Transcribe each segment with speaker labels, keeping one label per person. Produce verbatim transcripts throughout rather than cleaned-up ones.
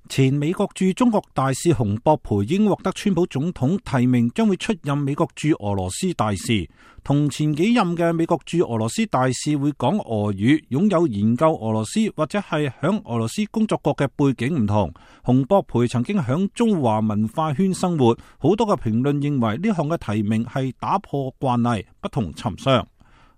Speaker 1: 前美國駐中國大使洪博培已經獲得川普總統提名，將會出任美國駐俄羅斯大使。同前幾任嘅美國駐俄羅斯大使會講俄語，擁有研究俄羅斯或者係響俄羅斯工作過嘅背景唔同。洪博培曾經響中華文化圈生活，好多嘅評論認為呢項嘅提名係打破慣例，不同尋常。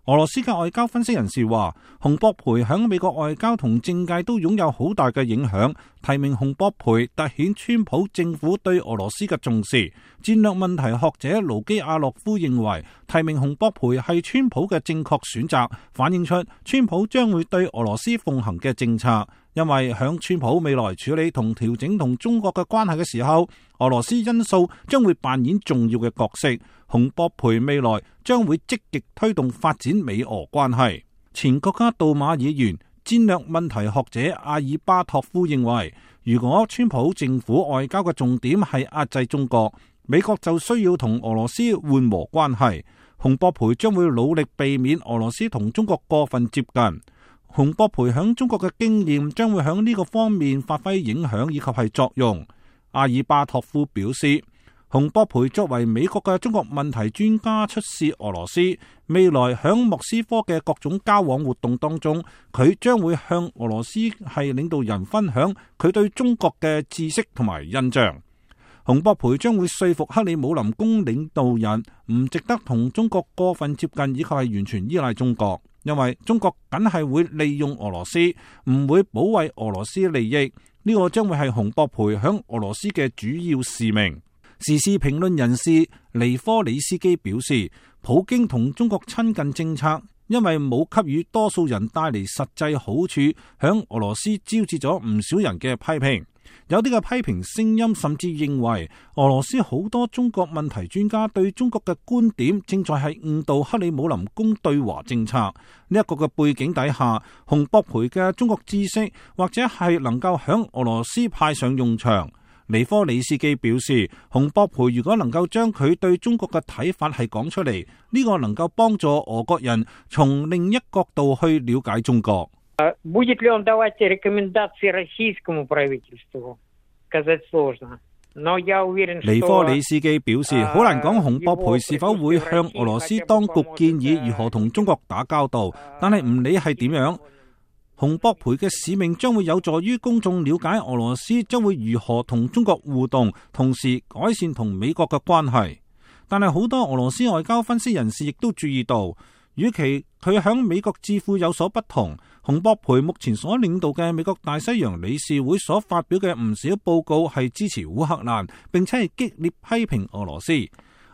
Speaker 1: 俄羅斯嘅外交分析人士話，洪博培喺美國外交同政界都擁有好大嘅影響。提名洪博培凸顯川普政府對俄羅斯嘅重視。戰略問題學者盧基亞洛夫認為，提名洪博培係川普嘅正確選擇，反映出川普將會對俄羅斯奉行嘅政策。因為響川普未來處理同調整同中國嘅關係嘅時候，俄羅斯因素將會扮演重要嘅角色。洪博培未來將會積極推動發展美俄關係。前國家杜馬議員、戰略問題學者阿爾巴托夫認為，如果川普政府外交嘅重點係壓制中國，美國就需要同俄羅斯緩和關係。洪博培將會努力避免俄羅斯同中國過分接近。洪博培響中國嘅經驗將會響呢個方面發揮影響以及係作用。阿爾巴托夫表示，洪博培作為美國嘅中國問題專家出使俄羅斯，未來響莫斯科嘅各種交往活動當中，佢將會向俄羅斯係領導人分享佢對中國嘅知識同埋印象。洪博培將會說服克里姆林宮領導人唔值得同中國過分接近，以及係完全依賴中國，因為中國梗係會利用俄羅斯，唔會保衛俄羅斯利益。呢個將會係洪博培響俄羅斯嘅主要使命。時事評論人士尼科里斯基表示，普京同中國親近政策因為冇給予多數人帶嚟實際好處，響俄羅斯招致咗唔少人嘅批評。有啲嘅批評聲音甚至認為，俄羅斯好多中國問題專家對中國嘅觀點正在係誤導克里姆林宮對華政策。呢一個嘅背景底下，洪博培嘅中國知識或者係能夠響俄羅斯派上用場。尼科里斯基表示，洪博培如果能夠將佢對中國嘅睇法係講出嚟，呢個能夠幫助俄國人從另一角度去了解中國。
Speaker 2: Будет ли он давать рекомендации российскому правительству? Сказать сложно. Но я уверен, что
Speaker 1: 尼科里斯基表示，好難講洪博培是否會向俄羅斯當局建議如何同中國打交道，但係唔理係點樣，洪博培嘅使命將會有助於公眾了解俄羅斯將會如何同中國互動，同時改善同美國嘅關係。但係好多俄羅斯外交分析人士亦都注意到，與其佢響美國智庫有所不同，洪博培目前所領導嘅美國大西洋理事會所發表嘅唔少報告係支持烏克蘭，並且係激烈批評俄羅斯。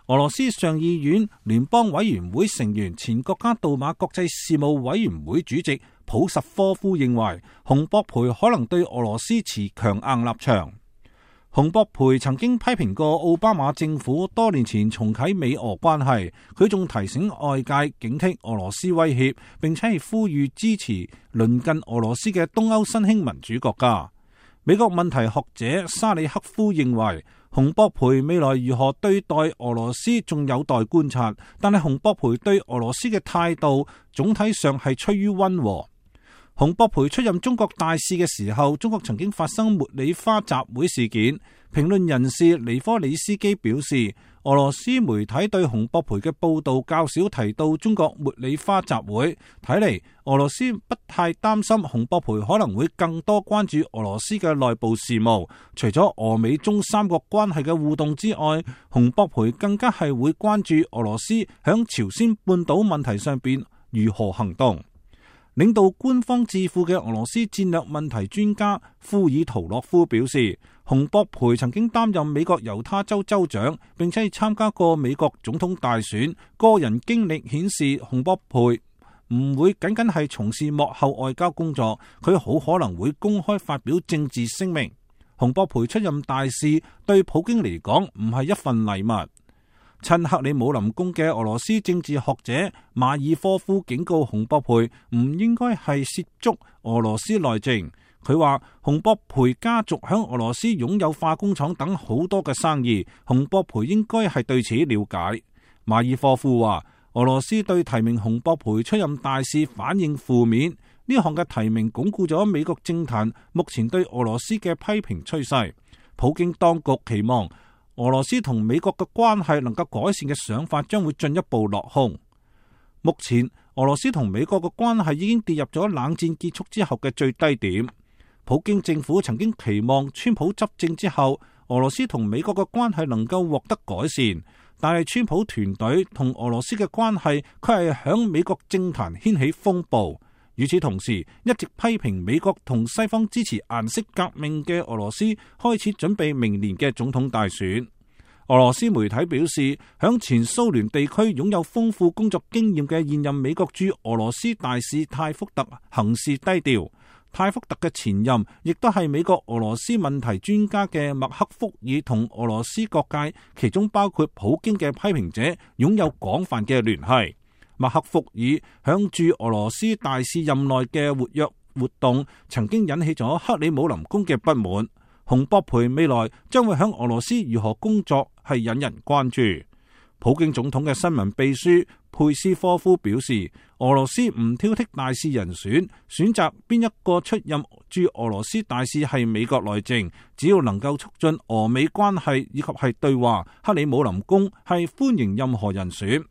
Speaker 1: 俄羅斯上議院聯邦委員會成員、前國家杜馬國際事務委員會主席普什科夫認為，洪博培可能對俄羅斯持強硬立場。洪博培曾經批評過奧巴馬政府多年前重啟美俄關係，佢仲提醒外界警惕俄羅斯威脅，並且係呼籲支持鄰近俄羅斯嘅東歐新興民主國家。美國問題學者沙里克夫認為，洪博培未來如何對待俄羅斯仲有待觀察，但係洪博培對俄羅斯嘅態度總體上係趨於溫和。洪博培出任中國大使嘅時候，中國曾經發生茉莉花集會事件。評論人士尼科里斯基表示，俄羅斯媒體對洪博培嘅報道較少提到中國茉莉花集會，睇嚟俄羅斯不太擔心洪博培可能會更多關注俄羅斯嘅內部事務。除咗俄美中三國關係嘅互動之外，洪博培更加係會關注俄羅斯響朝鮮半島問題上邊如何行動。領導官方智庫嘅俄羅斯戰略問題專家庫爾圖洛夫表示，洪博培曾經擔任美國猶他州州長，並且參加過美國總統大選。個人經歷顯示，洪博培唔會僅僅係從事幕後外交工作，佢好可能會公開發表政治聲明。洪博培出任大使對普京嚟講唔係一份禮物。親克里姆林宮嘅俄羅斯政治學者馬爾科夫警告洪博培唔應該係涉足俄羅斯內政。佢話洪博培家族響俄羅斯擁有化工廠等好多嘅生意，洪博培應該係對此了解。馬爾科夫話俄羅斯對提名洪博培出任大使反應負面。呢項嘅提名鞏固咗美國政壇目前對俄羅斯嘅批評趨勢。普京當局期望俄羅斯同美國嘅關係能夠改善嘅想法將會進一步落空。目前俄羅斯同美國嘅關係已經跌入咗冷戰結束之後嘅最低點。普京政府曾經期望川普執政之後，俄羅斯同美國嘅關係能夠獲得改善，但係川普團隊同俄羅斯嘅關係卻係響美國政壇掀起風暴。與此同時，一直批評美國同西方支持顏色革命嘅俄羅斯開始準備明年嘅總統大選。俄羅斯媒體表示，響前蘇聯地區擁有豐富工作經驗嘅現任美國駐俄羅斯大使泰福特行事低調。泰福特嘅前任亦都係美國俄羅斯問題專家嘅麥克福爾同俄羅斯各界，其中包括普京嘅批評者，擁有廣泛嘅聯繫。麥克福爾響駐俄羅斯大使任內嘅活躍活動，曾經引起咗克里姆林宮嘅不滿。洪博培未來將會響俄羅斯如何工作係引人關注。普京總統嘅新聞秘書佩斯科夫表示，俄羅斯唔挑剔大使人選，選擇邊一個出任駐俄羅斯大使係美國內政，只要能夠促進俄美關係以及係對話，克里姆林宮係歡迎任何人選。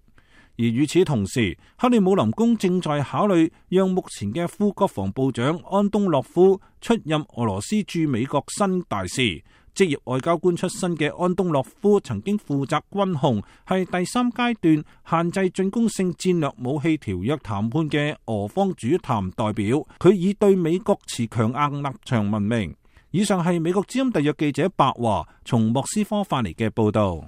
Speaker 1: 而與此同時，克里姆林宮正在考慮讓目前嘅副國防部長安東諾夫出任俄羅斯駐美國新大使。職業外交官出身嘅安東諾夫曾經負責軍控，係第三階段限制進攻性戰略武器條約談判嘅俄方主談代表。佢以對美國持強硬立場聞名。以上係美國之音特約記者白華從莫斯科發嚟嘅報道。